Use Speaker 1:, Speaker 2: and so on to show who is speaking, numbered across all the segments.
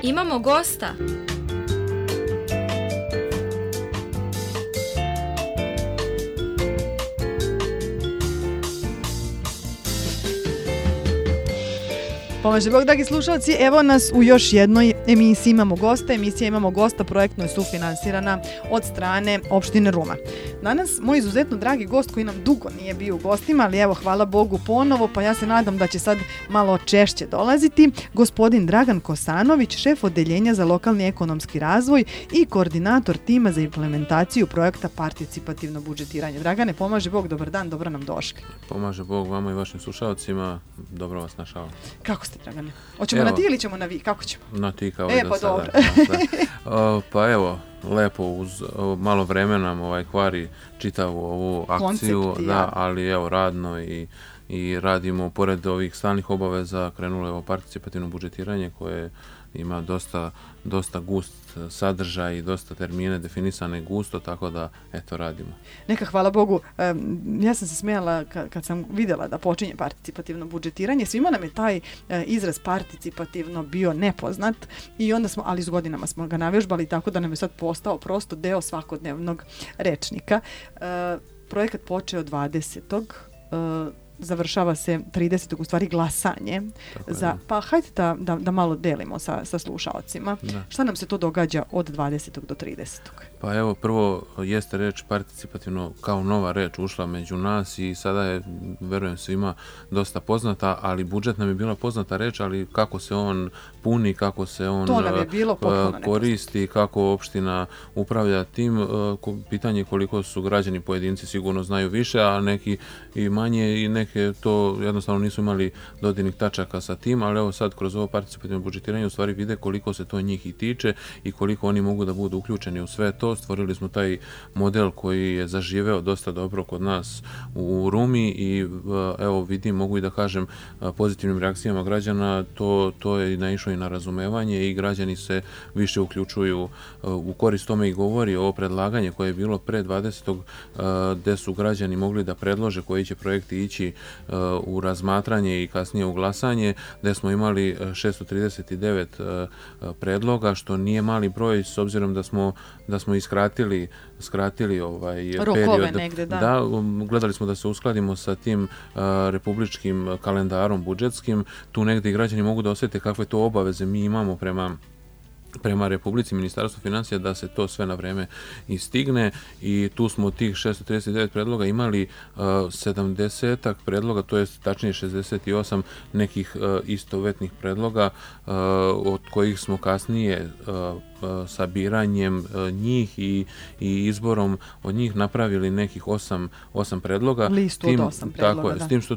Speaker 1: Imamo gosta.
Speaker 2: Pomaže Bog, dragi slušalci, evo nas u još jednoj emisiji Imamo gosta. Emisija Imamo gosta projektno je sufinansirana od strane opštine Ruma. Danas moj izuzetno dragi gost koji nam dugo nije bio u gostima, ali evo hvala Bogu ponovo, pa ja se nadam da će sad malo češće dolaziti, gospodin Dragan Kosanović, šef odeljenja za lokalni ekonomski razvoj i koordinator tima za implementaciju projekta participativno budžetiranje. Dragane, pomaže Bog, dobar dan, dobro nam došli.
Speaker 3: Pomaže Bog vama i vašim slušalcima, dobro vas našao.
Speaker 2: Kako ste, Dragane? Hoćemo na ti ili ćemo na vi? Kako ćemo?
Speaker 3: Na ti kao i do sada. Pa evo, lepo uz malo vremena kvari čitavu ovu akciju, koncept, ali evo radno i radimo pored ovih stalnih obaveza, krenulo je ovo participativno budžetiranje koje ima dosta gust sadržaj i dosta termine definisane gusto, tako da eto radimo.
Speaker 2: Neka hvala Bogu, ja sam se smijala kad sam vidjela da počinje participativno budžetiranje, svima nam je taj izraz participativno bio nepoznat i onda smo, ali s godinama smo ga navježbali tako da nam je sad postao prosto deo svakodnevnog rečnika. Projekat počeo 20. Završava se 30. u stvari glasanje. Pa hajde da malo delimo sa slušalcima. Da. Šta nam se to događa od 20. do 30.
Speaker 3: Pa evo, prvo jeste reč participativno kao nova reč ušla među nas i sada je, verujem, svima dosta poznata, ali budžet nam je bila poznata reč, ali kako se on puni, kako se on koristi, kako opština upravlja tim, pitanje koliko su građani pojedinci sigurno znaju više, a neki i manje i neke to jednostavno nisu imali dodirnih tačaka sa tim, ali evo sad kroz ovo participativno budžetiranje u stvari vide koliko se to njih i tiče i koliko oni mogu da budu uključeni u sve to. Stvorili smo taj model koji je zaživeo dosta dobro kod nas u Rumi i evo vidim, mogu i da kažem pozitivnim reakcijama građana, to je naišlo i na razumevanje i građani se više uključuju u korist tome i govori ovo predlaganje koje je bilo pre 20. Gde su građani mogli da predlože koji će projekti ići u razmatranje i kasnije u glasanje, gde smo imali 639 predloga, što nije mali broj s obzirom da smo skratili
Speaker 2: rokove
Speaker 3: period.
Speaker 2: Negde, da.
Speaker 3: Gledali smo da se uskladimo sa tim republičkim kalendarom budžetskim. Tu negde i građani mogu da osjete kakve to obaveze mi imamo prema Republici, Ministarstvu financija, da se to sve na vreme i stigne i tu smo tih 639 predloga imali 70 predloga, to je tačnije 68 nekih istovetnih predloga, od kojih smo kasnije sabiranjem njih i izborom od njih napravili nekih 8 predloga.
Speaker 2: Listu od 8 predloga,
Speaker 3: tako je, s tim što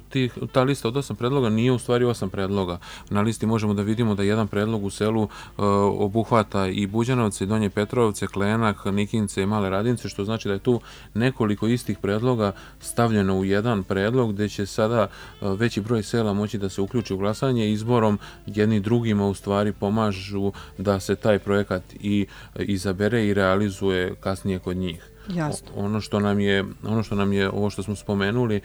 Speaker 3: ta lista od 8 predloga nije u stvari 8 predloga. Na listi možemo da vidimo da jedan predlog u selu obuhvata i Buđanovce, i Donje Petrovce, Klenak, Nikince i Male Radince, što znači da je tu nekoliko istih predloga stavljeno u jedan predlog, gde će sada veći broj sela moći da se uključi u glasanje. Izborom jedni drugima u stvari pomažu da se taj projekat i izabere i realizuje kasnije kod njih.
Speaker 2: Jasno.
Speaker 3: Ono što nam je ovo što smo spomenuli,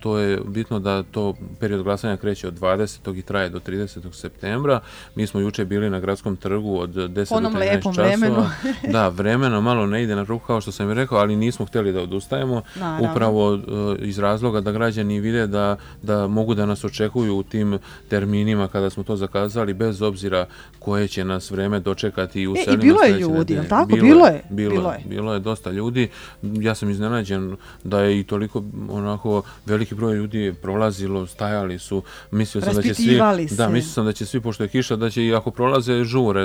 Speaker 3: to je bitno da to period glasanja kreće od 20. i traje do 30. septembra. Mi smo juče bili na Gradskom trgu od 10 do 13 časova.
Speaker 2: Vremenu.
Speaker 3: Da, vremeno malo ne ide na ruku kao što sam i rekao, ali nismo htjeli da odustajemo.
Speaker 2: Naravno.
Speaker 3: Upravo iz razloga da građani vide da mogu da nas očekuju u tim terminima kada smo to zakazali, bez obzira koje će nas vreme dočekati i u selima.
Speaker 2: I bilo je ljudi, jel tako?
Speaker 3: Bilo je dosta ljudi. Ja sam iznenađen da je i toliko onako veliki broj ljudi prolazilo, stajali su, mislio sam da će svi, pošto je kiša, da će i ako prolaze žure,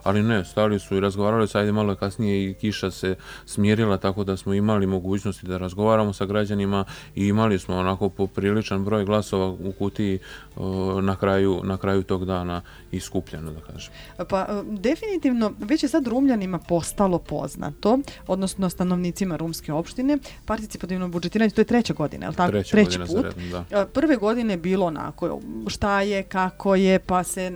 Speaker 3: ali ne, stali su i razgovarali se, ajde malo kasnije i kiša se smirila, tako da smo imali mogućnosti da razgovaramo sa građanima i imali smo onako popriličan broj glasova u kutiji na kraju tog dana iskupljeno, da kažem.
Speaker 2: Pa definitivno već je sad Rumljanima postalo poznato, odnosno stanovnicima Rumske opštine. Participativno budžetiranje, to je 3. godina, je li tako?
Speaker 3: Treći
Speaker 2: put.
Speaker 3: za redom, da.
Speaker 2: Prve godine je bilo onako, šta je, kako je, pa se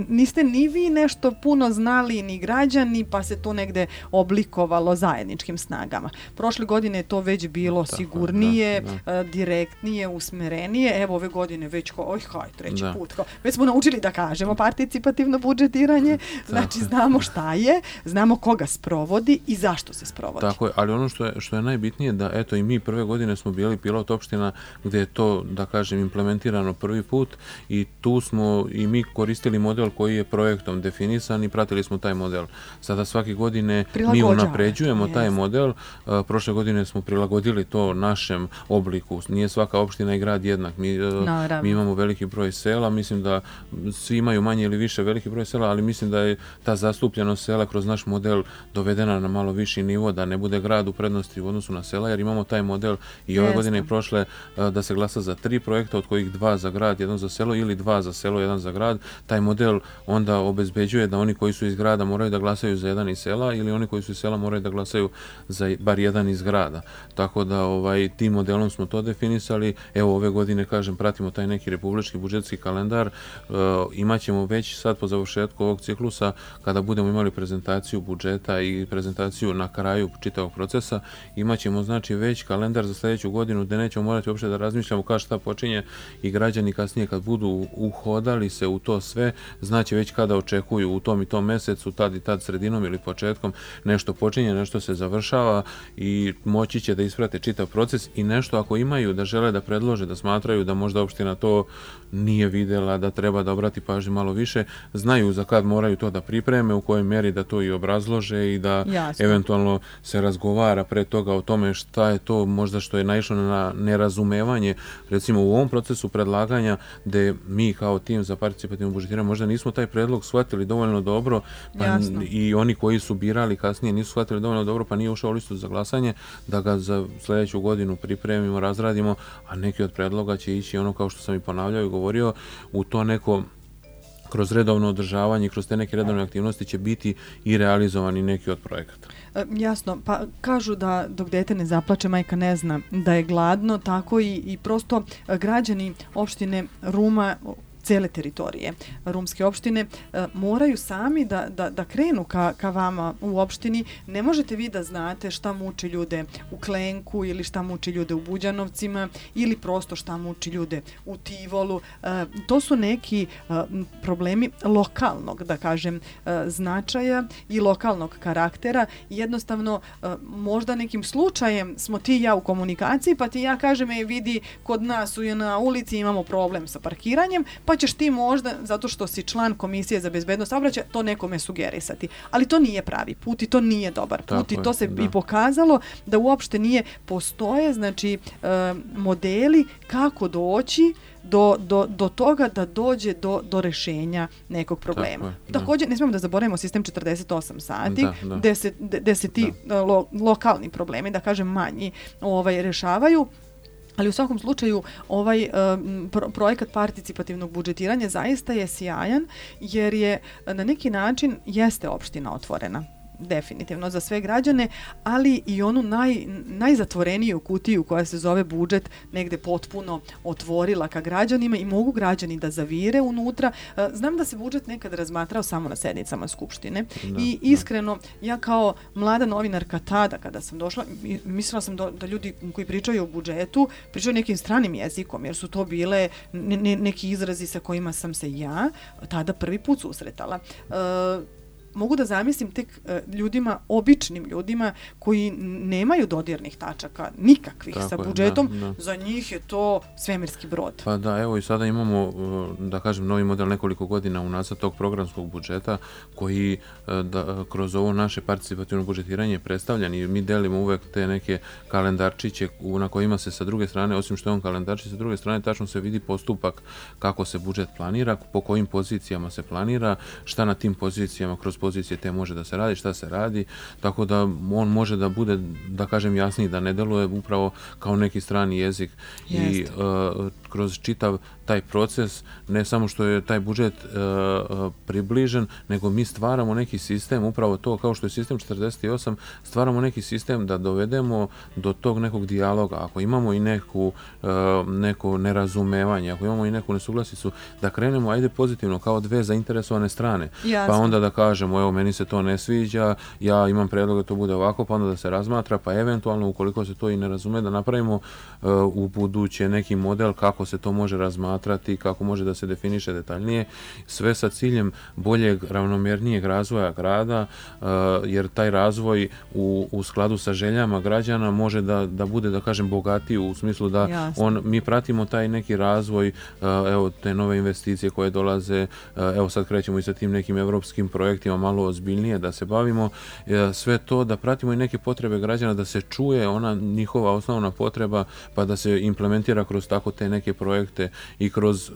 Speaker 2: niste ni vi nešto puno znali, ni građani, pa se to negde oblikovalo zajedničkim snagama. Prošle godine je to već bilo sigurnije, direktnije, usmerenije. Evo ove godine već treći put. Već smo naučili da kažemo participativno budžetiranje, znači znamo šta je, znamo koga sprovodi i zašto se sprovodi.
Speaker 3: Tako je, ali ono što je najbitnije da eto i mi prve godine smo bili pilot opština gdje je to, da kažem, implementirano prvi put i tu smo i mi koristili model koji je projektom definisan i pratili smo taj model. Sada svake godine mi unapređujemo taj model. Prošle godine smo prilagodili to našem obliku. Nije svaka opština i grad jednak. Mi imamo veliki broj sela, mislim da svi imaju manje ili više veliki broj sela, ali mislim da je ta zastupljenost sela kroz naš model dovedena na malo viši nivo, da ne bude grad u prednosti u odnosu na sela, jer imamo taj model i ove godine i prošle da se glasa za 3 projekta, od kojih 2 za grad, 1 za selo ili 2 za selo, 1 za grad. Taj model onda obezbeđuje da oni koji su iz grada moraju da glasaju za 1 iz sela ili oni koji su iz sela moraju da glasaju za bar 1 iz grada. Tako da tim modelom smo to definisali. Evo ove godine, kažem, pratimo taj neki republički budžetski kalendar. Imaćemo već sad po završetku ovog ciklusa, kada budemo imali prezentaciju budžeta i prezentaciju na kraju čitavog procesa, imaćemo znači već kalendar za sljedeću godinu gdje nećemo morati uopšte da razmišljamo kada šta počinje i građani kasnije kad budu uhodali se u to sve, znači već kada očekuju u tom i tom mesecu, tad i tad sredinom ili početkom nešto počinje, nešto se završava i moći će da isprate čitav proces i nešto ako imaju da žele da predlože, da smatraju da možda opština to nije videla, da treba da obrati pažnju malo više, znaju za kad moraju to da pripreme, u kojoj mjeri da to i obrazlože i da eventualno se razgovara pre toga o tome šta je to možda što je naišlo na nerazumevanje. Recimo u ovom procesu predlaganja gde mi kao tim za participativno budžetiranje možda nismo taj predlog shvatili dovoljno dobro, pa i oni koji su birali kasnije nisu shvatili dovoljno dobro, pa nije ušao u listu za glasanje, da ga za sljedeću godinu pripremimo, razradimo, a neki od predloga će ići ono kao što sam i ponavljao i govorio, u to neko kroz redovno održavanje, kroz te neke redovne aktivnosti će biti i realizovani neki od projekata.
Speaker 2: Jasno, pa kažu da dok dete ne zaplače, majka ne zna da je gladno, tako i prosto građani opštine Ruma, cele teritorije Rumske opštine moraju sami da krenu ka vama u opštini. Ne možete vi da znate šta muči ljude u Klenku ili šta muči ljude u Buđanovcima ili prosto šta muči ljude u Tivolu. To su neki problemi lokalnog, da kažem, značaja i lokalnog karaktera. Jednostavno, možda nekim slučajem smo ti i ja u komunikaciji, pa ti ja kažem, vidi, kod nas na ulici imamo problem sa parkiranjem, pa ćeš ti možda, zato što si član Komisije za bezbednost saobraćaja, to nekome sugerisati. Ali to nije pravi put i to nije dobar put i to se i pokazalo da uopšte nije postoje, znači, modeli kako doći do toga da dođe do rešenja nekog problema. Također, ne smijemo da zaboravimo sistem 48 sati, gde se ti lokalni problemi, da kažem manji, rešavaju. Ali u svakom slučaju ovaj projekat participativnog budžetiranja zaista je sjajan jer je na neki način jeste opština otvorena. Definitivno za sve građane, ali i onu najzatvoreniju kutiju koja se zove budžet negde potpuno otvorila ka građanima i mogu građani da zavire unutra. Znam da se budžet nekad razmatrao samo na sednicama Skupštine i iskreno, ja kao mlada novinarka tada kada sam došla, mislila sam da ljudi koji pričaju o budžetu pričaju nekim stranim jezikom, jer su to bile neki izrazi sa kojima sam se ja tada prvi put susretala. Mogu da zamislim tek ljudima, običnim ljudima koji nemaju dodirnih tačaka nikakvih sa budžetom, za njih je to svemirski brod.
Speaker 3: Pa da, evo i sada imamo, da kažem, novi model nekoliko godina unazad tog programskog budžeta koji kroz ovo naše participativno budžetiranje je predstavljan i mi delimo uvek te neke kalendarčiće na kojima se sa druge strane, osim što je on kalendarčić, sa druge strane tačno se vidi postupak kako se budžet planira, po kojim pozicijama se planira, šta na tim pozicijama kroz pozicije te može da se radi, šta se radi, tako da on može da bude, da kažem, jasniji, da ne deluje upravo kao neki strani jezik. I kroz čitav taj proces, ne samo što je taj budžet približen, nego mi stvaramo neki sistem, upravo to kao što je sistem 48, stvaramo neki sistem da dovedemo do tog nekog dijaloga. Ako imamo i neko nerazumevanje, ako imamo i neku nesuglasicu, da krenemo ajde pozitivno kao dve zainteresovane strane.
Speaker 2: Jasno.
Speaker 3: Pa onda da kažemo, evo meni se to ne sviđa, ja imam predlog da to bude ovako, pa onda da se razmatra, pa eventualno ukoliko se to i ne razume, da napravimo u buduće neki model kako se to može razmatrati, kako može da se definiše detaljnije, sve sa ciljem boljeg, ravnomjernijeg razvoja grada, jer taj razvoj u skladu sa željama građana može da bude, da kažem, bogatiji u smislu da mi pratimo taj neki razvoj, evo te nove investicije koje dolaze, evo sad krećemo i sa tim nekim evropskim projektima malo ozbiljnije da se bavimo, sve to da pratimo i neke potrebe građana, da se čuje ona njihova osnovna potreba, pa da se implementira kroz tako te neke projekte i kroz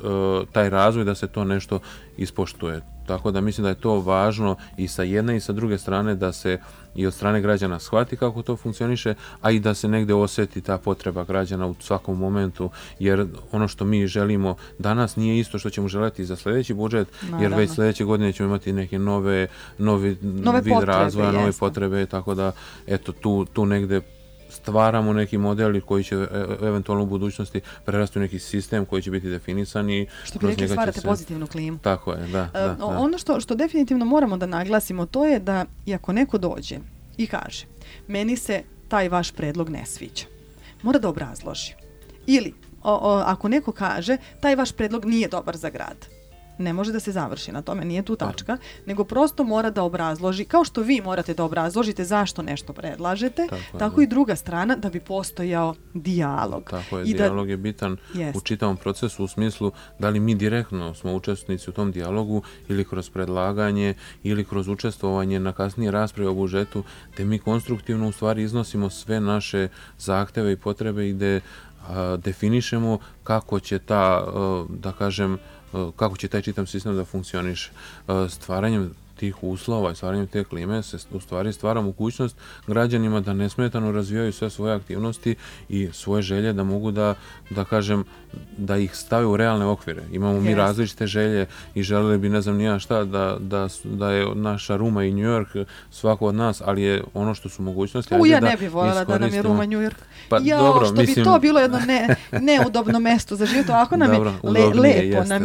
Speaker 3: taj razvoj da se to nešto ispoštuje. Tako da mislim da je to važno i sa jedne i sa druge strane da se i od strane građana shvati kako to funkcioniše, a i da se negde osjeti ta potreba građana u svakom momentu, jer ono što mi želimo danas nije isto što ćemo želeti za sljedeći budžet, jer već sljedeće godine ćemo imati neke novi vid razvoja, nove potrebe, tako da eto tu negde stvaramo neki model koji će eventualno u budućnosti prerasti u neki sistem koji će biti definisan i
Speaker 2: što bi rekli stvarate pozitivnu klimu.
Speaker 3: Tako je, da.
Speaker 2: Ono što definitivno moramo da naglasimo to je da i ako neko dođe i kaže meni se taj vaš predlog ne sviđa, mora da obrazloži. Ili ako neko kaže taj vaš predlog nije dobar za grad, ne može da se završi na tome, nije tu tačka, nego prosto mora da obrazloži, kao što vi morate da obrazložite zašto nešto predlažete, tako i druga strana da bi postojao dijalog.
Speaker 3: Tako je, dijalog je bitan u čitavom procesu u smislu da li mi direktno smo učesnici u tom dijalogu ili kroz predlaganje ili kroz učestvovanje na kasnije rasprave o budžetu, te mi konstruktivno u stvari iznosimo sve naše zahteve i potrebe i da definišemo kako će kako će taj čitav sistem da funkcioniše. Stvaranjem tih uslova i stvaranjem te klime se u stvari stvara mogućnost građanima da nesmetano razvijaju sve svoje aktivnosti i svoje želje, da mogu da kažem, da ih stave u realne okvire. Imamo mi različite želje i želeli bi ne znam nija šta da je naša Ruma i New York svako od nas, ali je ono što su mogućnosti.
Speaker 2: Ja ne bih voljela da nam je Ruma New York.
Speaker 3: Pa, dobro,
Speaker 2: što bi to bilo jedno neudobno mesto za život. Ovako nam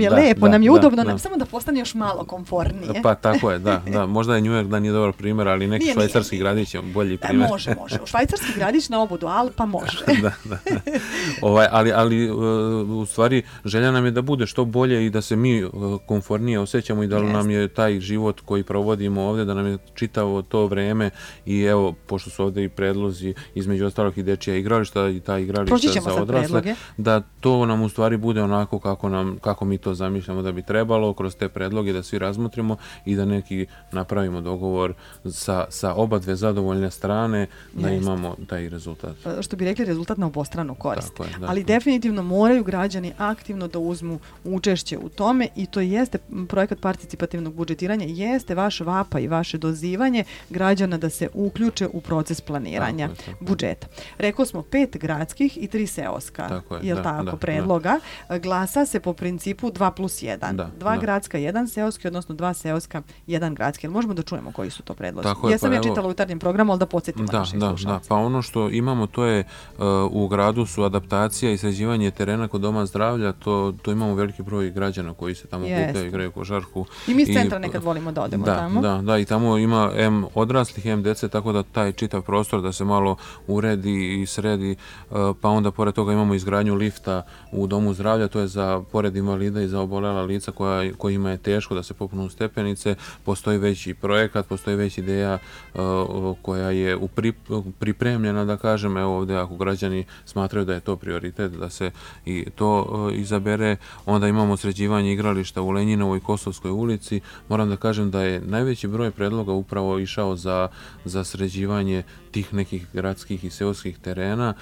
Speaker 2: je lepo, nam je udobno, samo da postane još malo komfornije.
Speaker 3: Pa tako je, da. Možda je New York da nije dobar primjer, ali neki švajcarski gradić je bolji primjer.
Speaker 2: Može. Švajcarski gradić na obodu Alpa može.
Speaker 3: Da. Ali u stvari želja nam je da bude što bolje i da se mi komfornije osjećamo i da nam je taj život koji provodimo ovdje, da nam je čitavo to vreme i evo, pošto su ovdje i predlozi između ostalog i dečija igrališta i ta igrališta za odrasle, da to nam u stvari bude onako kako mi to zamišljamo da bi trebalo, kroz te predloge da svi razmotrimo i da neki napravimo dogovor sa oba dve zadovoljne strane da imamo taj rezultat.
Speaker 2: Što bi rekli, rezultat na obostranu korist. Ali definitivno moraju građani aktivno da uzmu učešće u tome i to jeste projekat participativnog budžetiranja, jeste vaš vapa i vaše dozivanje građana da se uključe u proces planiranja budžeta. Rekao smo 5 gradskih i 3 seoska predloga. Glasa se po principu 2+1. 2 gradska, 1 seoski, odnosno 2 seoska, 1 gradski. Možemo da čujemo koji su to predlozi? Jesam ja čitala u jutarnjem programu, ali da podsjetimo naše slušalce.
Speaker 3: Pa ono što imamo to je u gradu su adaptacija i sređivanje terena kod doma zdravlja, to imamo veliki broj građana koji se tamo okupljaju, igraju košarku.
Speaker 2: I mi iz centra nekad volimo da odemo tamo.
Speaker 3: Da, i tamo ima odraslih, dece, tako da taj čitav prostor da se malo uredi i sredi, pa onda pored toga imamo izgradnju lifta u domu zdravlja, to je za pored invalida i za obolela lica kojima je teško da se popnu stepenice, postoji veći projekat, postoji već ideja koja je pripremljena, da kažem, evo ovdje ako građani smatraju da je to prioritet, da se i to izabere, onda imamo sređivanje igrališta u Lenjinovoj i Kosovskoj ulici. Moram da kažem da je najveći broj predloga upravo išao za sređivanje tih nekih gradskih i seoskih terena.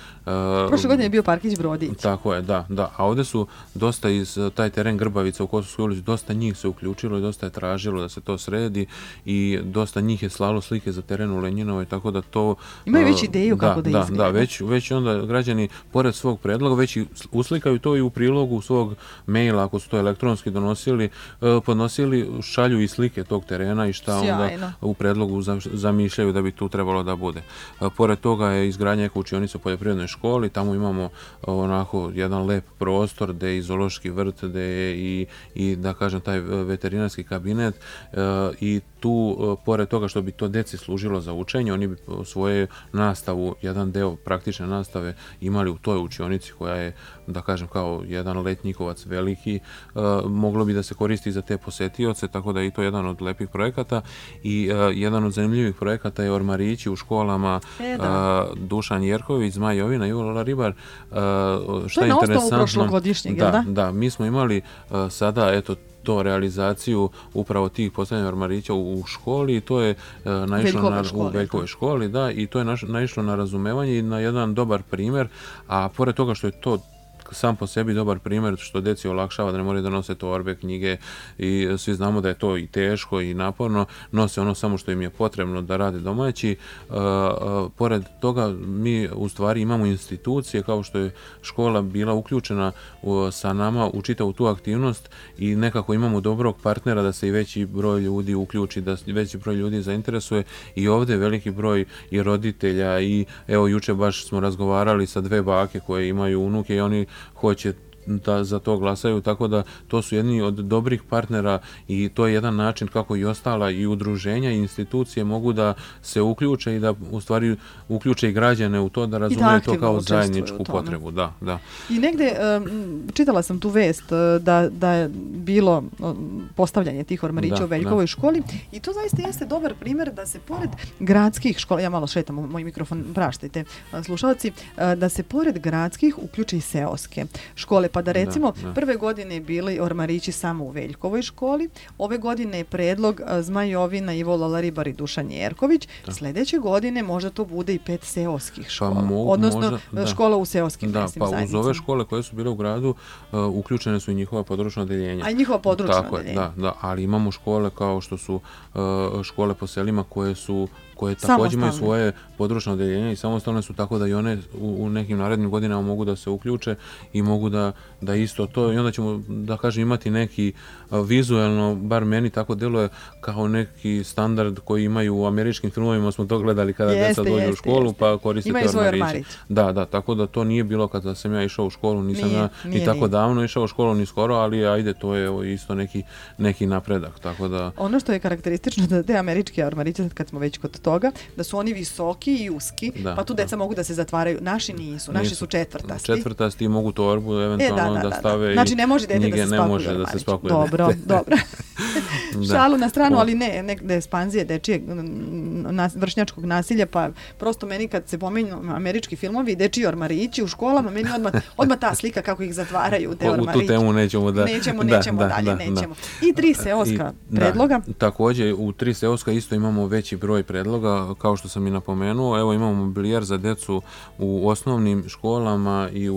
Speaker 2: Prošle godine je bio parkić Brodić.
Speaker 3: Tako je, da. A ovdje su dosta taj teren Grbavica u Kosovskoj ulici, dosta njih se uključilo i dosta je tražilo da se to sredi. sredi i dosta njih je slalo slike za teren u Lenjinovoj, tako da to...
Speaker 2: Imaju već ideju kako da izgleda.
Speaker 3: Da, već onda građani, pored svog predloga, već i uslikaju to i u prilogu svog maila, ako su to elektronski podnosili, šalju i slike tog terena i šta onda u predlogu zamišljaju da bi tu trebalo da bude. Pored toga je izgradnja eko učionice u poljoprivrednoj školi, tamo imamo onako jedan lep prostor gde je i zoološki vrt, gde je i da kažem taj veterinarski kabinet i tu, pored toga što bi to deci služilo za učenje, oni bi svoje nastavu, jedan deo praktične nastave imali u toj učionici koja je, da kažem, kao jedan letnjikovac veliki, moglo bi da se koristi za te posetioce, tako da je i to jedan od lepih projekata i jedan od zanimljivih projekata je ormarići u školama Dušan Jerković, Zmaj Jovina i Ivo Laribar.
Speaker 2: To je na osnovu prošlogodišnjeg, jel da?
Speaker 3: Da, mi smo imali sada, eto, to realizaciju upravo tih postavljanja ormarića u školi i to je naišlo u Veljkovoj školi, da, i to je naišlo na razumevanje i na jedan dobar primjer, a pored toga što je to sam po sebi dobar primjer što deci olakšava da ne moraju da nose torbe, knjige i svi znamo da je to i teško i naporno, nose ono samo što im je potrebno da rade domaći. Pored toga mi u stvari imamo institucije kao što je škola bila uključena sa nama u čitavu tu aktivnost i nekako imamo dobrog partnera da se i veći broj ljudi uključi, da veći broj ljudi zainteresuje i ovdje veliki broj i roditelja i evo juče baš smo razgovarali sa 2 bake koje imaju unuke i oni hoće da za to glasaju, tako da to su jedni od dobrih partnera i to je jedan način kako i ostala i udruženja i institucije mogu da se uključe i da u stvari uključe i građane u to da razumeju to kao zajedničku potrebu. Da.
Speaker 2: I negde čitala sam tu vest da je bilo postavljanje tih ormarića u Veljkovoj školi i to zaista jeste dobar primjer da se pored gradskih škola, ja malo šetam moj mikrofon, praštajte slušalci, da se pored gradskih uključe i seoske škole, pa da recimo prve godine bili ormarići samo u Veljkovoj školi, ove godine je predlog Zmaj Jovina, Ivo Laribar i Dušan Jerković, sljedeće godine možda to bude i 5 seoskih škola, odnosno škola u seoskim mesnim zajednicama.
Speaker 3: Uz ove škole koje su bile u gradu uključene su i njihova područna odeljenja.
Speaker 2: A i njihova područna odeljenja.
Speaker 3: Da, ali imamo škole kao što su škole po selima koje također imaju svoje područno odeljenje i samostalne su, tako da i one u nekim narednim godinama mogu da se uključe i mogu da isto to i onda ćemo, da kažem, imati neki vizualno, bar meni tako deluje, kao neki standard koji imaju u američkim filmovima, smo to gledali kada deca dođu u školu pa koristite ormariće. Da, tako da to nije bilo kada sam ja išao u školu, nisam ja i tako davno išao u školu ni skoro, ali ajde, to je isto neki napredak, tako da...
Speaker 2: Ono što je karakteristično da te američke ormariće, kad smo već kod toga, da su oni visoki i uski, pa tu deca mogu da se zatvaraju. Naši nisu, naši su četvrtasti.
Speaker 3: Četvrtasti mogu torbu eventualno da stave.
Speaker 2: Znači ne može dete da se spakuje. Dobro. Šalu na stranu, ali ne ekspanzije dečijeg vršnjačkog nasilja, pa prosto meni kad se pominju američki filmovi i dečiji ormarići u školama, meni odmah ta slika kako ih zatvaraju te ormarići.
Speaker 3: U tu temu nećemo
Speaker 2: dalje. I 3 seoska predloga.
Speaker 3: Također u 3 seoska isto imamo veći broj predloga, kao što sam i napomenuo. Evo imamo mobilijar za decu u osnovnim školama i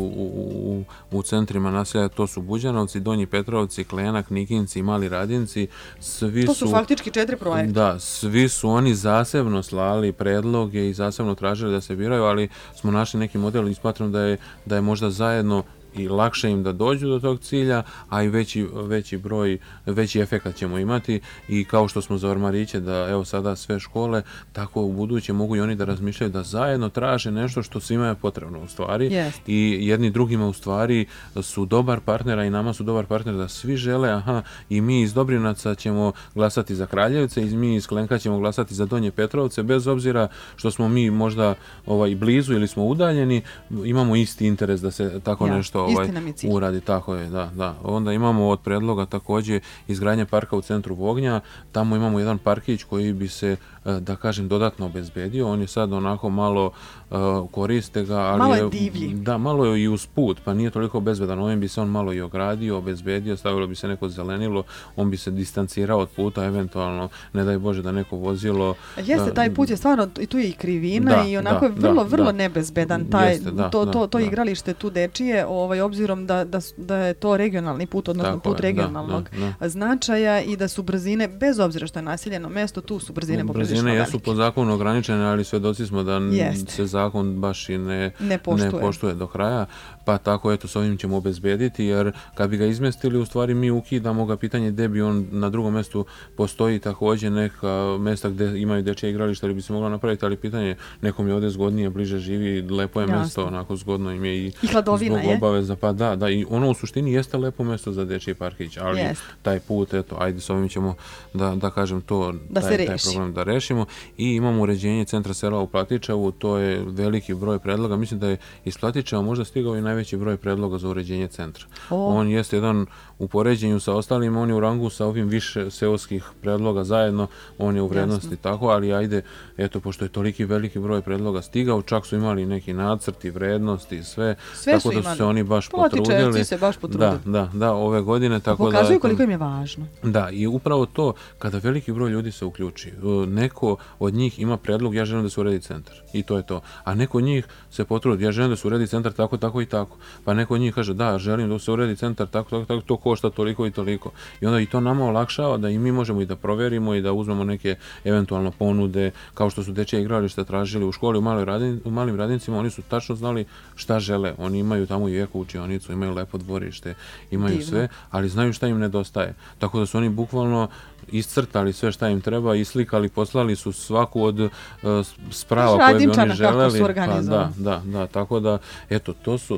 Speaker 3: u centrima naselja, to su Buđanovci, Donji Petrovci, Klenak, Nikinci i Mali Radinci.
Speaker 2: To su faktički 4 projekta.
Speaker 3: Da, svi su oni zasebno slali predloge i zasebno tražili da se biraju, ali smo našli neki model i smatram da je možda zajedno i lakše im da dođu do tog cilja, a i veći efekat ćemo imati i kao što smo za ormariće da evo sada sve škole, tako u buduće mogu i oni da razmišljaju da zajedno traže nešto što svima je potrebno u stvari i jedni drugima u stvari su dobar partnera i nama su dobar partner da svi žele, i mi iz Dobrinaca ćemo glasati za Kraljevce i mi iz Klenka ćemo glasati za Donje Petrovce, bez obzira što smo mi možda blizu ili smo udaljeni, imamo isti interes da se tako nešto uradi, tako je, da. Onda imamo od predloga također izgradnja parka u centru Vognja, tamo imamo jedan parkić koji bi se, da kažem, dodatno obezbedio, on je sad onako malo koriste ga, ali
Speaker 2: malo je divlji.
Speaker 3: Da, malo je i uz put, pa nije toliko bezbedan. Ovim bi se on malo i ogradio, obezbedio, stavilo bi se neko zelenilo, on bi se distancirao od puta, eventualno, ne daj Bože da neko vozilo...
Speaker 2: Jeste, taj put je stvarno, i tu je i krivina i onako je vrlo nebezbedan to igralište tu dečije, obzirom da je to regionalni put, odnosno put regionalnog značaja i da su brzine, bez obzira što je naseljeno mesto, tu su brzine poprilično velike.
Speaker 3: Brzine jesu po zakonu ograničene, ali svedoci smo da se zakon baš i ne poštuje do kraja, pa tako eto s ovim ćemo obezbediti, jer kad bi ga izmestili, u stvari mi ukidamo ga, pitanje gde bi on na drugom mestu postoji također neka mesta gde imaju dečje igrališta ili bi se moglo napraviti, ali pitanje nekom je ovdje zgodnije, bliže živi, lepo je mesto, onako zgodno im je i
Speaker 2: hladovina
Speaker 3: zbog obaveza, pa da, i ono u suštini jeste lepo mesto za dečji parkić, ali taj put, eto, ajde s ovim ćemo da kažem to, taj problem da rešimo. I imamo uređenje centra sela u Platičevu, to je veliki broj predloga, mislim da je iz Platičeva možda stigao i najveći broj predloga za uređenje centra. On jeste jedan u poređenju sa ostalim, on je u rangu sa ovim više seoskih predloga zajedno, on je u vrednosti tako, ali ajde, eto, pošto je toliki veliki broj predloga stigao, čak su imali neki nacrti, vrednosti i sve tako da su se oni baš potrudili.
Speaker 2: Se baš potrudili.
Speaker 3: Da, ove godine. Tako
Speaker 2: pokazuju koliko im je važno.
Speaker 3: Da, i upravo to, kada veliki broj ljudi se uključi, neko od njih ima predlog, ja želim da se uredi centar, i to je to. A neko od njih se potrudi, ja želim da se uredi centar tako i tako. Pa neko od njih kaže, da, želim da se uredi centar tako, to košta toliko i toliko. I onda i to nama olakšava da i mi možemo i da proverimo i da uzmemo neke eventualno ponude, kao što su dečje igrališta tražili u školi, u malim Radincima, oni su tačno znali šta žele. Oni imaju tamo i eko učionicu, imaju lepo dvorište, imaju sve, ali znaju šta im nedostaje. Tako da su oni bukvalno iscrtali sve šta im treba, islikali, poslali su svaku od sprava koje bi oni želeli. Da, tako da, eto,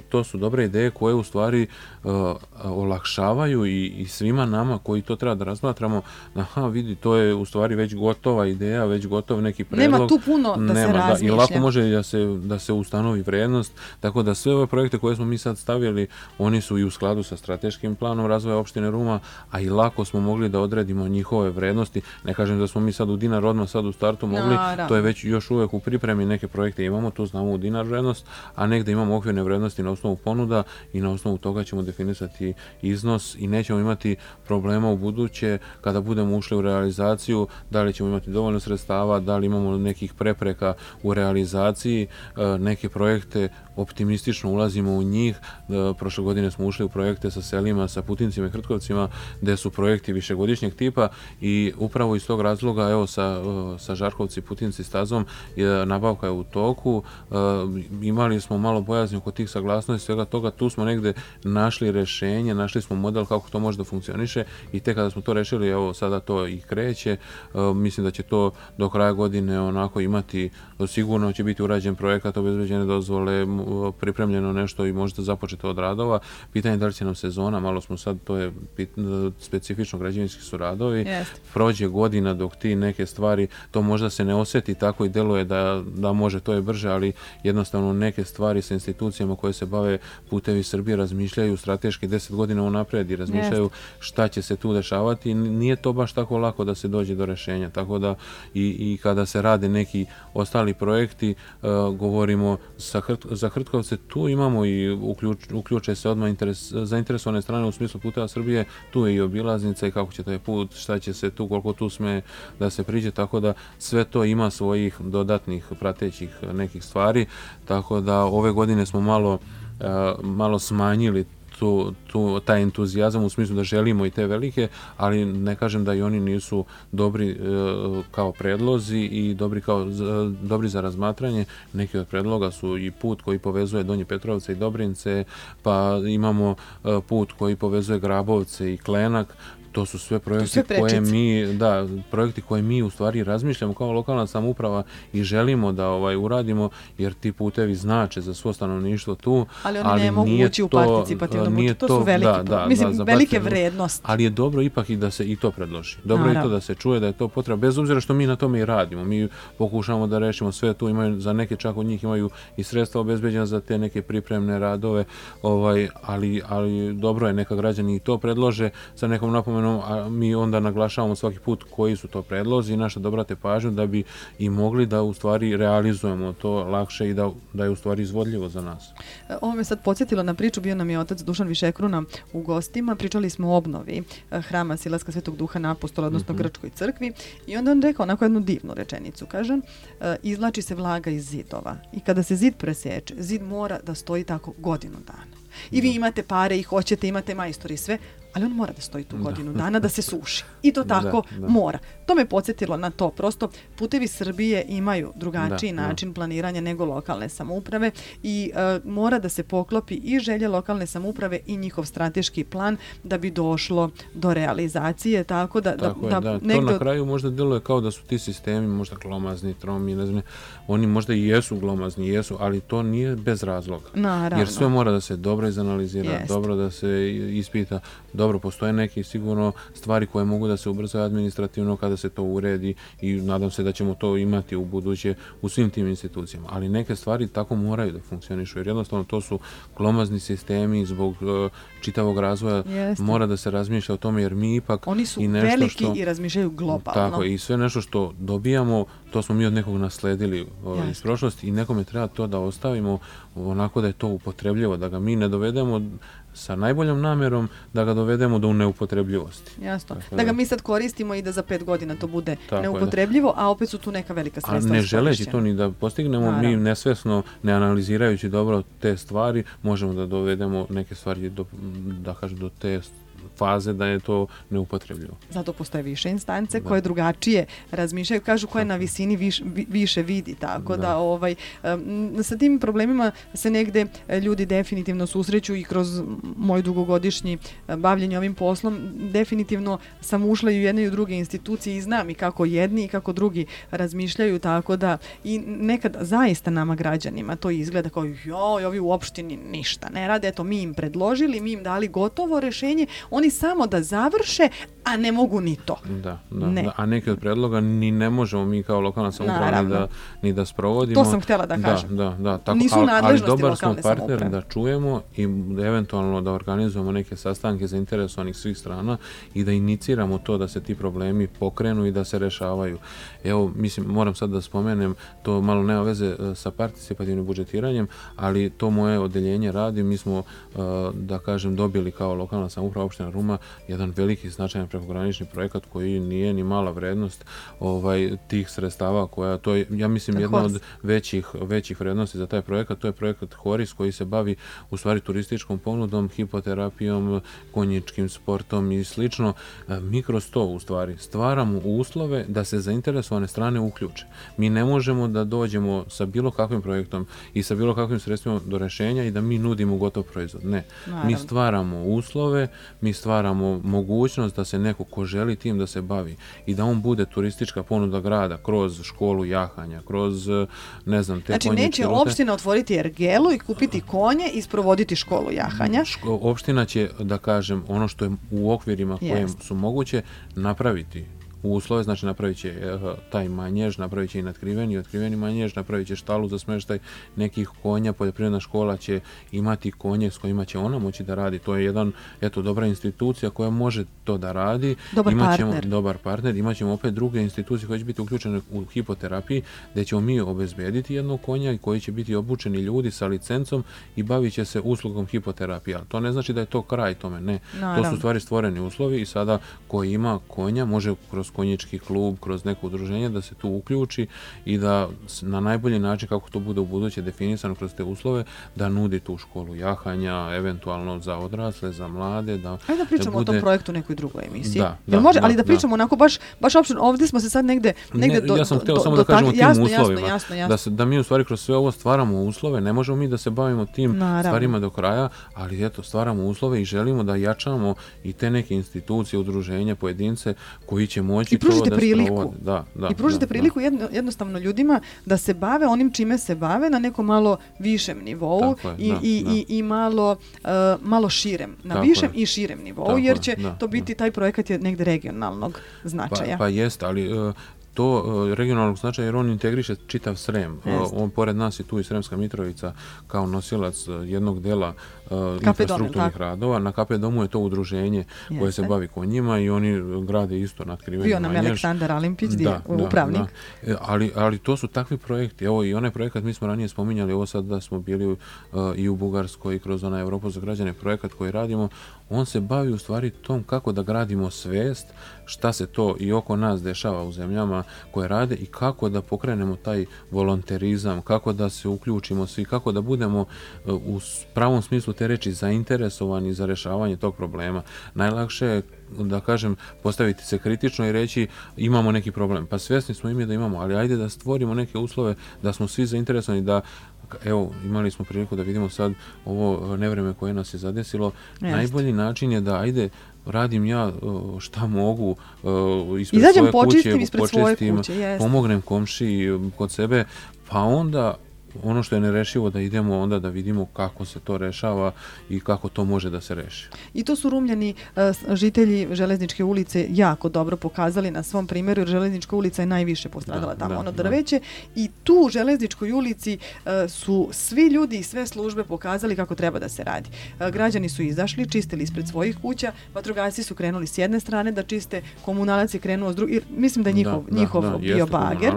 Speaker 3: to su dobre ideje koje u stvari olakšavaju i svima nama koji to treba da razmatramo, vidi, to je u stvari već gotova ideja, već gotov neki predlog.
Speaker 2: Nema tu puno da se razmišlja.
Speaker 3: I lako može da se ustanovi vrednost, tako da sve ove projekte koje smo mi sad stavili, oni su i u skladu sa strateškim planom razvoja opštine Ruma, a i lako smo mogli da odredimo njihove vrednosti. Ne kažem da smo mi sad u dinar odmah sad u startu mogli, to je već još uvek u pripremi, neke projekte imamo, tu znamo u dinar vrednost, a negde imamo okvirne vrednosti na osnovu ponuda i na osnovu toga ćemo definisati iznos i nećemo imati problema u buduće kada budemo ušli u realizaciju, da li ćemo imati dovoljno sredstava, da li imamo nekih prepreka u realizaciji, neke projekte optimistično ulazimo u njih. Prošle godine smo ušli u projekte sa selima, sa Putincima i Hrtkovcima, gde su projekti višegodišnjeg tipa i upravo iz tog razloga, evo sa Žarkovci, Putinci stazom, nabavka je u toku, imali smo malo bojazni oko tih saglasnosti, svega toga, tu smo negde našli rešenje, našli smo model kako to može da funkcioniše i tek kada smo to rešili, evo sada to i kreće, mislim da će to do kraja godine onako imati, sigurno će biti urađen projekat, obezbeđene dozvole, pripremljeno nešto i možda započeto od radova. Pitanje je da li će nam sezona, malo smo sad, to je specifično, građevinski su radovi, prođe godina dok ti neke stvari, to možda se ne osjeti tako i deluje da može, to je brže, ali jednostavno neke stvari sa institucijama koje se bave Putevi Srbije razmišljaju strateški 10 godina unapred i razmišljaju šta će se tu dešavati. Nije to baš tako lako da se dođe do rešenja, tako da i kada se rade neki ostali projekti, govorimo za Hrtkovce, tu imamo i uključe se odmah zainteresovane strane u smislu Puteva Srbije, tu je i obilaznica i kako će taj put, šta će se tu, koliko tu sme da se priđe, tako da sve to ima svojih dodatnih pratećih nekih stvari, tako da ove godine smo malo smanjili taj entuzijazam u smislu da želimo i te velike, ali ne kažem da i oni nisu dobri kao predlozi i dobri za razmatranje. Neki od predloga su i put koji povezuje Donje Petrovce i Dobrince, pa imamo put koji povezuje Grabovce i Klenak. To su sve projekti koje mi u stvari razmišljamo kao lokalna samouprava i želimo da uradimo, jer ti putevi znače za svo stanovništvo tu.
Speaker 2: Ali oni ne mogu ući u participativno budžet, to su velike vrednosti.
Speaker 3: Ali je dobro ipak i da se i to predloži. Dobro je to da se čuje da je to potreba, bez obzira što mi na tome i radimo. Mi pokušamo da rešimo sve tu, imaju za neke čak od njih imaju i sredstva obezbeđena za te neke pripremne radove, ali dobro je neka građani i to predlože sa nekom napomenom istovremeno mi onda naglašavamo svaki put koji su to predlozi i naša dobrate pažnju da bi i mogli da u stvari realizujemo to lakše i da je u stvari izvodljivo za nas.
Speaker 2: Ovo me sad podsjetilo na priču, bio nam je otac Dušan Višekruna u gostima, pričali smo o obnovi hrama Silaska Svetog Duha na Apostola, odnosno Grčkoj crkvi, i onda on rekao onako jednu divnu rečenicu, kaže, izvlači se vlaga iz zidova i kada se zid preseče, zid mora da stoji tako godinu dana. I vi imate pare i hoćete, imate majstori i sve, ali on mora da stoji tu godinu dana, da se suši. I to tako mora. To me podsjetilo na to. Prosto putevi Srbije imaju drugačiji način planiranja nego lokalne samouprave i mora da se poklopi i želje lokalne samouprave i njihov strateški plan da bi došlo do realizacije. Tako da
Speaker 3: to na kraju možda deluje kao da su ti sistemi možda glomazni, tromi, ne znam, oni možda i jesu glomazni, jesu, ali to nije bez razloga.
Speaker 2: Naravno.
Speaker 3: Jer sve mora da se dobro izanalizira, dobro da se ispita. Dobro, postoje neke sigurno stvari koje mogu da se ubrzaju administrativno kada se to uredi i nadam se da ćemo to imati u buduće u svim tim institucijama. Ali neke stvari tako moraju da funkcionišu jer jednostavno to su glomazni sistemi zbog čitavog razvoja. Mora da se razmišlja o tome jer mi ipak...
Speaker 2: Oni su veliki i razmišljaju globalno.
Speaker 3: Tako, i sve nešto što dobijamo, to smo mi od nekog nasledili iz prošlosti i nekome treba to da ostavimo onako da je to upotrebljivo, da ga mi ne dovedemo sa najboljom namjerom da ga dovedemo do neupotrebljivosti.
Speaker 2: Jasno. Da ga mi sad koristimo i da za 5 godina to bude neupotrebljivo, a opet su tu neka velika sredstva.
Speaker 3: A ne želeći to ni da postignemo, mi nesvesno, ne analizirajući dobro te stvari, možemo da dovedemo neke stvari do te faze da je to neupotrebljivo.
Speaker 2: Zato postoje više instance koje drugačije razmišljaju, kažu koje na visini više vidi, tako da sa tim problemima se negde ljudi definitivno susreću i kroz moj dugogodišnji bavljenje ovim poslom, definitivno sam ušla i u jedne i u druge institucije i znam i kako jedni i kako drugi razmišljaju, tako da i nekad zaista nama građanima to izgleda kao ovi u opštini ništa ne rade, eto mi im predložili, mi im dali gotovo rešenje, oni samo da završe, a ne mogu ni to.
Speaker 3: A neke od predloga ni ne možemo mi kao lokalna samouprava ni da sprovodimo.
Speaker 2: To sam htjela da kažem.
Speaker 3: Tako,
Speaker 2: nisu nadležnosti
Speaker 3: ali dobar
Speaker 2: lokalne
Speaker 3: smo partner
Speaker 2: samouprave.
Speaker 3: Da čujemo i eventualno da organizujemo neke sastanke zainteresovanih svih strana i da iniciramo to da se ti problemi pokrenu i da se rešavaju. Evo, mislim, moram sad da spomenem, to malo nema veze sa participativnim budžetiranjem, ali to moje odeljenje radi. Mi smo, da kažem, dobili kao lokalna samouprava opština Ruma jedan veliki značajan prekogranični projekat koji nije ni mala vrednost tih sredstava koja, to je, ja mislim, jedna od većih vrednosti za taj projekat, to je projekat Horis koji se bavi u stvari turističkom ponudom, hipoterapijom, konjičkim sportom i slično. Mi kroz to u stvari stvaramo uslove da se zainteresovane strane uključe. Mi ne možemo da dođemo sa bilo kakvim projektom i sa bilo kakvim sredstvima do rešenja i da mi nudimo gotov proizvod. Ne.
Speaker 2: Naravno.
Speaker 3: Mi stvaramo uslove, mi stvaramo mogućnost da se neko ko želi tim da se bavi i da on bude turistička ponuda grada kroz školu jahanja, kroz, ne znam, te konjičke rute.
Speaker 2: Znači neće opština otvoriti ergelu i kupiti konje i sprovoditi školu jahanja?
Speaker 3: Opština će, da kažem, ono što je u okvirima koje su moguće napraviti uslove, znači napravit će taj manjež, napravit će i natkriveni, otkriveni manjež, napravit će štalu za smeštaj nekih konja, poljoprivredna škola će imati konje s kojima će ona moći da radi. To je jedan, dobra institucija koja može to da radi. Dobar partner. Imaćemo opet druge institucije koje će biti uključene u hipoterapiji, gdje ćemo mi obezbediti jednog konja i koji će biti obučeni ljudi sa licencom i bavit će se uslugom hipoterapije. To ne znači da je to kraj tome, ne. To su stvari stvoreni uslovi i sada koji ima konja može kroz konjički klub, kroz neko udruženje da se tu uključi i da na najbolji način kako to bude u buduće definisano kroz te uslove da nudi tu školu jahanja, eventualno za odrasle, za mlade.
Speaker 2: Ajde da pričamo o tom projektu u nekoj drugoj emisiji. Može, ali da pričamo onako baš opšteno, ovdje smo se sad negde
Speaker 3: ja sam htio samo da kažemo o tim uslovima. Da mi u stvari kroz sve ovo stvaramo uslove, ne možemo mi da se bavimo tim stvarima do kraja, ali eto, stvaramo uslove i želimo da jačamo i te neke institucije, udruženja, pojedince koji će moći
Speaker 2: i pružite priliku. I pružite priliku jednostavno ljudima da se bave onim čime se bave na nekom malo višem nivou i malo širem, na višem i širem nivou, jer će to biti, taj projekat je negde regionalnog značaja.
Speaker 3: Pa jest, ali to regionalnog značaja jer on integriše čitav Srem. On pored nas je tu i Sremska Mitrovica kao nosilac jednog dela infrastrukturnih radova. Na KP domu je to udruženje koje se bavi konjima i oni grade isto nadkriveni
Speaker 2: manjež. Bio nam Aleksandar Alimpić, upravnik.
Speaker 3: Ali to su takvi projekti. Evo i onaj projekat, mi smo ranije spominjali, ovo sad da smo bili i u Bugarskoj i kroz onaj Europu za građane projekat koji radimo, on se bavi u stvari tom kako da gradimo svest šta se to i oko nas dešava u zemljama koje rade i kako da pokrenemo taj volonterizam, kako da se uključimo svi, kako da budemo u pravom smislu te reči zainteresovani za rješavanje tog problema. Najlakše je, da kažem, postaviti se kritično i reći imamo neki problem. Pa svjesni smo da imamo, ali ajde da stvorimo neke uslove da smo svi zainteresovani, da evo, imali smo priliku da vidimo sad ovo nevreme koje nas je zadesilo. Najbolji način je da ajde radim ja šta mogu ispred svoje kuće, pomognem komšiji kod sebe, pa onda ono što je nerešivo da idemo onda da vidimo kako se to rešava i kako to može da se reši.
Speaker 2: I to su Rumljani, žitelji Železničke ulice, jako dobro pokazali na svom primjeru, jer Železnička ulica je najviše postradala tamo drveće i tu u Železničkoj ulici su svi ljudi i sve službe pokazali kako treba da se radi. Građani su izašli, čistili ispred svojih kuća, vatrogasci su krenuli s jedne strane da čiste, komunalac je krenuo s druge, mislim da je njihov bio bager,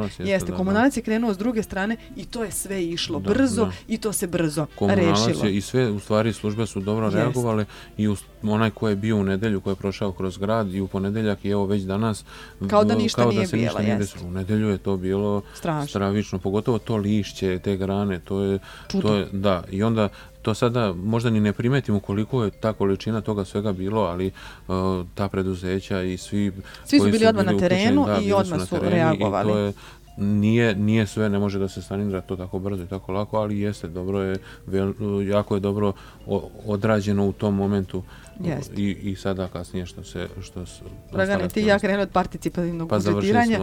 Speaker 2: komunalac je krenuo s druge strane i to je sve išlo brzo i to se brzo rešilo.
Speaker 3: I sve, u stvari, službe su dobro reagovale i onaj ko je bio u nedelju, ko je prošao kroz grad i u ponedeljak i evo već danas
Speaker 2: kao da ništa nije bilo.
Speaker 3: U nedelju je to bilo stravično, pogotovo to lišće, te grane, to je da, i onda to sada možda ni ne primetimo koliko je ta količina toga svega bilo, ali ta preduzeća i svi
Speaker 2: su bili odmah na terenu i odmah su reagovali.
Speaker 3: I to je nije sve, ne može da se sanira to tako brzo i tako lako, ali jeste, dobro je, jako je dobro odrađeno u tom momentu i sada kasnije što se
Speaker 2: Dragane, ti ja krenuo od participativnog budžetiranja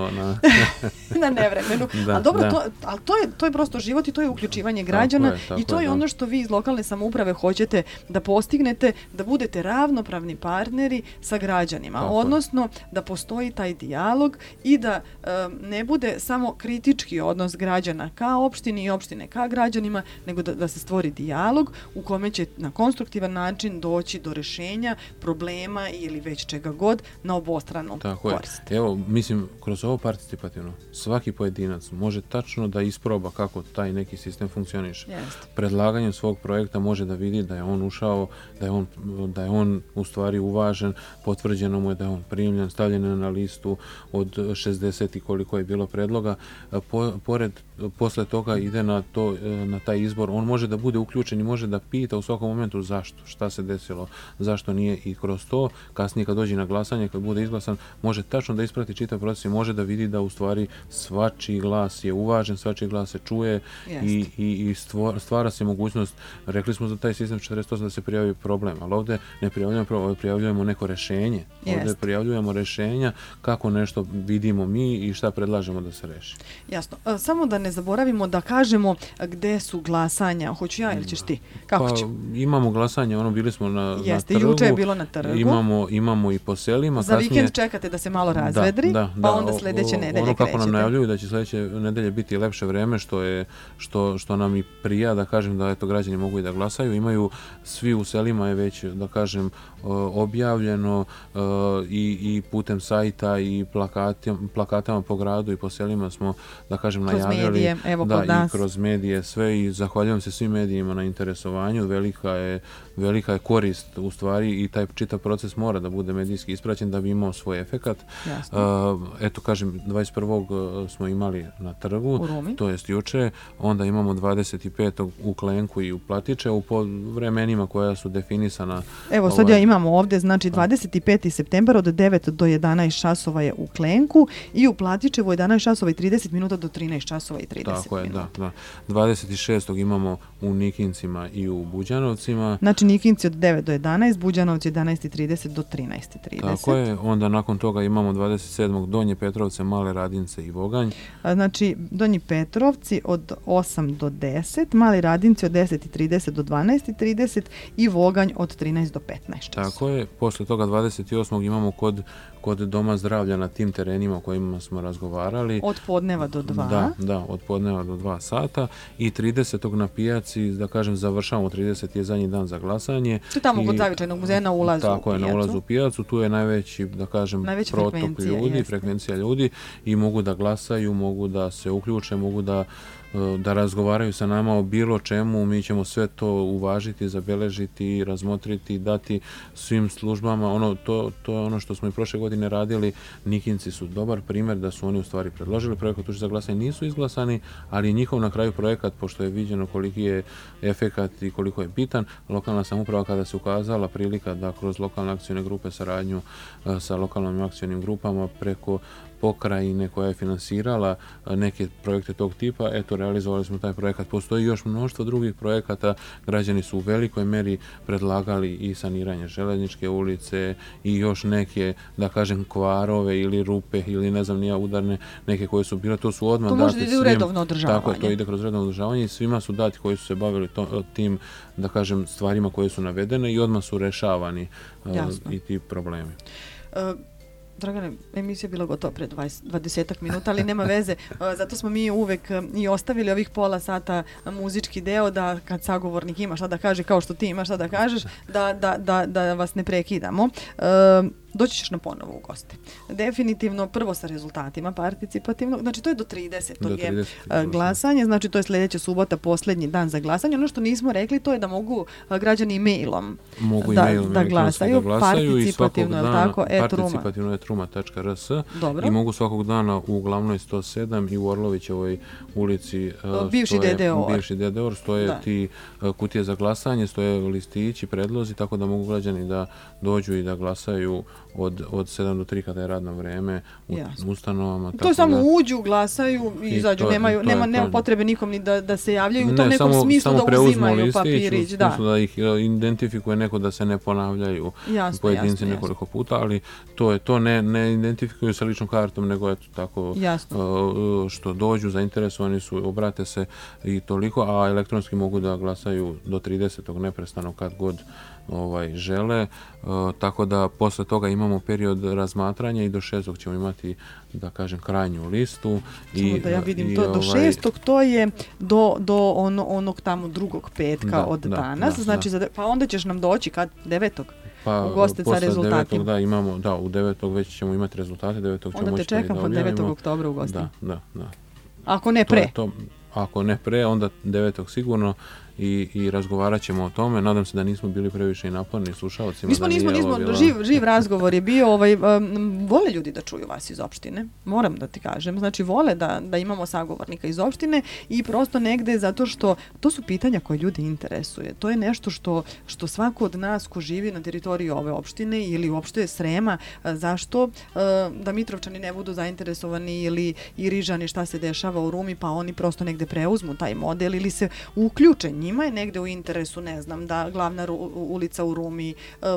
Speaker 2: na nevremenu. Ali dobro, to je prosto život i to je uključivanje građana i to je ono što vi iz lokalne samouprave hoćete da postignete, da budete ravnopravni partneri sa građanima, odnosno da postoji taj dijalog i da ne bude samo kritički odnos građana ka opštini i opštine ka građanima, nego da se stvori dijalog u kome će na konstruktivan način doći do rešenja problema ili već čega god na obostranu korist.
Speaker 3: Evo, mislim, kroz ovo participativno svaki pojedinac može tačno da isproba kako taj neki sistem funkcioniše. Predlaganjem svog projekta može da vidi da je on ušao, da je on u stvari uvažen, potvrđeno mu je da je on primljen, stavljen na listu od 60 i koliko je bilo predloga. Posle toga ide na taj izbor. On može da bude uključen i može da pita u svakom momentu zašto, šta se desilo, zašto nije, i kroz to kasnije kad dođe na glasanje, kad bude izglasan, može tačno da isprati čitav proces i može da vidi da u stvari svačiji glas je uvažen, svačiji glas se čuje i stvara se mogućnost. Rekli smo za taj sistem 48 da se prijavi problem, ali ovdje ne prijavljujemo problem, ovdje prijavljujemo neko rešenje. Ovdje prijavljujemo rešenja kako nešto vidimo mi i šta predlažemo da se reši.
Speaker 2: Jasno. Samo da ne zaboravimo da kažemo gde su glasanja. Hoću ja ili ćeš ti? Kako ću?
Speaker 3: Imamo glasanje, bili smo na trgu.
Speaker 2: Juče je bilo na trgu.
Speaker 3: Imamo i po selima.
Speaker 2: Za vikend čekate da se malo razvedri, pa onda sljedeće nedelje krećete.
Speaker 3: Kako nam najavljuju da će sljedeće nedelje biti lepše vreme, što nam i prija, da kažem, da građani mogu i da glasaju. Imaju svi u selima je već, da kažem, objavljeno i putem sajta i plakatama po gradu i po selima smo, da kažem, najavljali. I kroz medije sve, i zahvaljujem se svim medijima na interesovanju. Velika je korist u stvari i taj čitav proces mora da bude medijski ispraćen da bi imao svoj efekat. Eto, kažem, 21. smo imali na trgu, to jest juče, onda imamo 25. u Klenku i u Platiče u vremenima koja su definisana.
Speaker 2: Evo, sad ja imamo ovdje, znači 25. septembar od 9 do 11 časova je u Klenku i u Platičevu 11 časova i 30 minuta do 13 časova i 30 minuta.
Speaker 3: Tako je, da. 26. imamo u Nikincima i u Buđanovcima.
Speaker 2: Znači Nikinci od 9 do 11, Buđanovci 11.30 do 13.30.
Speaker 3: Tako je, onda nakon toga imamo 27. Donje Petrovce, Male Radince i Voganj.
Speaker 2: Znači Donji Petrovci od 8 do 10, Mali Radinci od 10.30 do 12.30 i Voganj od 13 do 15 časova.
Speaker 3: Tako je, posle toga 28. imamo kod kod Doma zdravlja na tim terenima o kojima smo razgovarali.
Speaker 2: Od podneva do 2.
Speaker 3: Da, od podneva do 2 sata i 30. na pijaci, da kažem, završavamo, 30. je zadnji dan za glasanje.
Speaker 2: To je tamo kod Zavičajnog muzeja na ulazu u pijacu.
Speaker 3: Tako je, na ulazu u pijacu, tu je najveći, da kažem, protok ljudi, frekvencija ljudi i mogu da glasaju, mogu da se uključe, mogu da razgovaraju sa nama o bilo čemu, mi ćemo sve to uvažiti, zabeležiti, razmotriti, dati svim službama. To je ono što smo i prošle godine radili. Nikinci su dobar primjer da su oni u stvari predložili projekat za glasanje, nisu izglasani, ali njihov na kraju projekat, pošto je viđeno koliki je efekat i koliko je bitan, lokalna samouprava kada se ukazala prilika da kroz lokalne akcijne grupe saradnju sa lokalnim akcijnim grupama preko pokrajine koja je finansirala neke projekte tog tipa, realizovali smo taj projekat. Postoji još mnoštvo drugih projekata, građani su u velikoj meri predlagali i saniranje Železničke ulice i još neke, da kažem, kvarove ili rupe ili ne znam nija udarne, neke koje su bile, to su odmah dati svim. To može ide u redovno održavanje. Tako je, to ide kroz redovno održavanje i svima su dati koji su se bavili tim, da kažem, stvarima koje su navedene i odmah su rešavani i ti problemi.
Speaker 2: Dragane, emisija je bila gotova pre 20 minuta, ali nema veze. Zato smo mi uvek i ostavili ovih pola sata muzički deo da kad sagovornik ima šta da kaže, kao što ti imaš šta da kažeš, da vas ne prekidamo. Doći ćeš na ponovo u goste. Definitivno prvo sa rezultatima participativnog, znači to je do 30. je glasanje, znači to je sljedeća subota, posljednji dan za glasanje. Ono što nismo rekli to je da mogu građani e-mailom da glasaju participativno, je li tako?
Speaker 3: Participativno.truma.rs i mogu svakog dana u Glavnoj 107 i u Orlovićevoj ulici bivši DDOR stoje ti kutije za glasanje, stoje listići, predlozi, tako da mogu građani da dođu i da glasaju od 7 do 3 kada je radno vreme u ustanovama.
Speaker 2: To je samo uđu, glasaju i izađu, nema potrebe nikom ni da se javljaju u tom nekom smislu da uzimaju papirić.
Speaker 3: U smislu da ih identifikuje neko, da se ne ponavljaju pojedinci nekoliko puta, ali to ne identifikuju sa ličnom kartom, nego je to tako što dođu, zainteresovani su, obrate se i toliko, a elektronski mogu da glasaju do 30. neprestano kad god žele, tako da posle toga imamo period razmatranja i do 6. ćemo imati, da kažem, krajnju listu.
Speaker 2: Samo da ja vidim to, do 6. to je do onog tamo drugog petka od danas, znači pa onda ćeš nam doći kad 9. u goste sa rezultatima.
Speaker 3: Posle 9. u 9. već ćemo imati rezultate, 9. ćemo
Speaker 2: onda te čekam od 9. oktobra u goste.
Speaker 3: Da.
Speaker 2: Ako ne pre.
Speaker 3: Ako ne pre, onda 9. sigurno i razgovarat ćemo o tome. Nadam se da nismo bili previše i naporni slušalcima.
Speaker 2: Nismo, živ razgovor je bio. Vole ljudi da čuju vas iz opštine, moram da ti kažem. Znači, vole da imamo sagovornika iz opštine i prosto negde zato što to su pitanja koje ljudi interesuje. To je nešto što svako od nas ko živi na teritoriji ove opštine ili uopšte Srema, zašto da Mitrovčani ne budu zainteresovani ili i Rižani šta se dešava u Rumi, pa oni prosto negde preuzmu taj model ili se uključe. Njima je negde u interesu, ne znam, da glavna ulica u Rumi,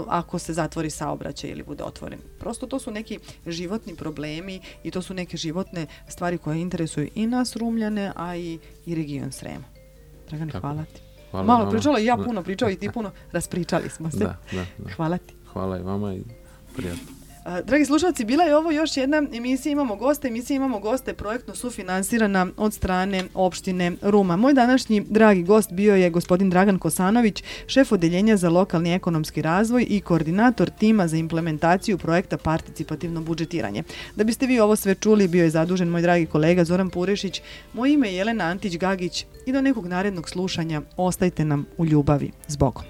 Speaker 2: ako se zatvori saobraćaj ili bude otvoren. Prosto to su neki životni problemi i to su neke životne stvari koje interesuju i nas Rumljane, a i region Srema. Dragane, hvala ti. Malo pričala i ja puno pričao i ti puno, raspričali smo se.
Speaker 3: Da.
Speaker 2: Hvala ti.
Speaker 3: Hvala i vama i prijatno.
Speaker 2: Dragi slušalci, bila je ovo još jedna emisija Imamo goste projektno sufinansirana od strane opštine Ruma. Moj današnji dragi gost bio je gospodin Dragan Kosanović, šef odeljenja za lokalni ekonomski razvoj i koordinator tima za implementaciju projekta participativno budžetiranje. Da biste vi ovo sve čuli, bio je zadužen moj dragi kolega Zoran Purešić. Moje ime je Jelena Antić-Gagić i do nekog narednog slušanja ostajte nam u ljubavi. Zbogom.